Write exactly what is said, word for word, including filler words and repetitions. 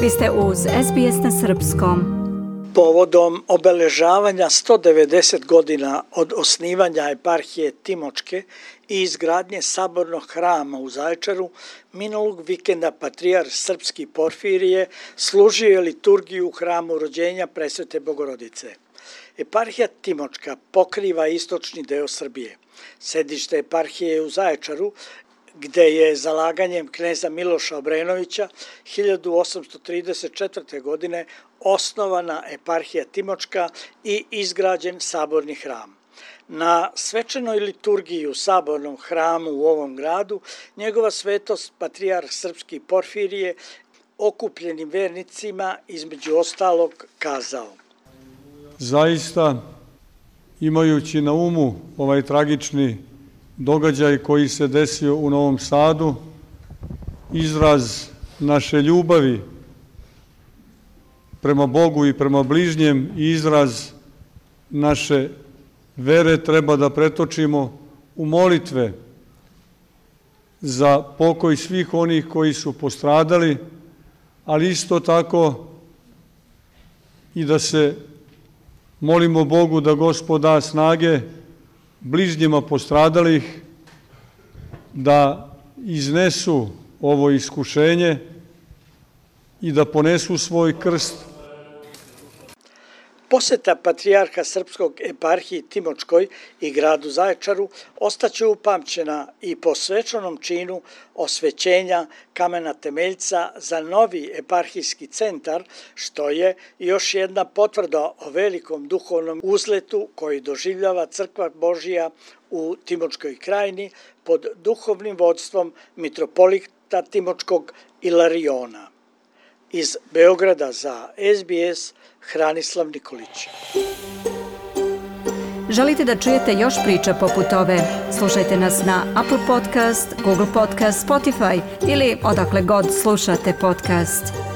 Vi ste uz S B S na srpskom. Povodom obeležavanja sto devedeset godina od osnivanja eparhije Timočke i izgradnje sabornog hrama u Zaječaru, minulog vikenda patrijarh srpski Porfirije služio je liturgiju u hramu rođenja Presvete Bogorodice. Eparhija Timočka pokriva istočni deo Srbije. Sedište eparhije je u Zaječaru, gde je zalaganjem kneza Miloša Obrenovića hiljadu osamsto trideset četvrte. godine osnovana eparhija Timočka i izgrađen saborni hram. Na svečanoj liturgiji u sabornom hramu u ovom gradu njegova svetost patrijarh srpski Porfirije okupljenim vernicima između ostalog kazao: Zaista, imajući na umu ovaj tragični događaj koji se desio u Novom Sadu, izraz naše ljubavi prema Bogu i prema bližnjem i izraz naše vere treba da pretočimo u molitve za pokoj svih onih koji su postradali, ali isto tako i da se molimo Bogu da Gospod da snage bližnjima postradalih da iznesu ovo iskušenje i da ponesu svoj krst. Poseta patrijarha srpskog eparhiji Timočkoj i gradu Zaječaru ostaće upamćena i po svečanom činu osvećenja kamena temeljca za novi eparhijski centar, što je još jedna potvrda o velikom duhovnom uzletu koji doživljava Crkva Božija u Timočkoj krajini pod duhovnim vodstvom mitropolita Timočkog Ilariona. Iz Beograda za S B S, Hranislav Nikolić. Želite da čujete još priča poput ove? Slušajte nas na Apple Podcast, Google Podcast, Spotify ili odakle god slušate podcast.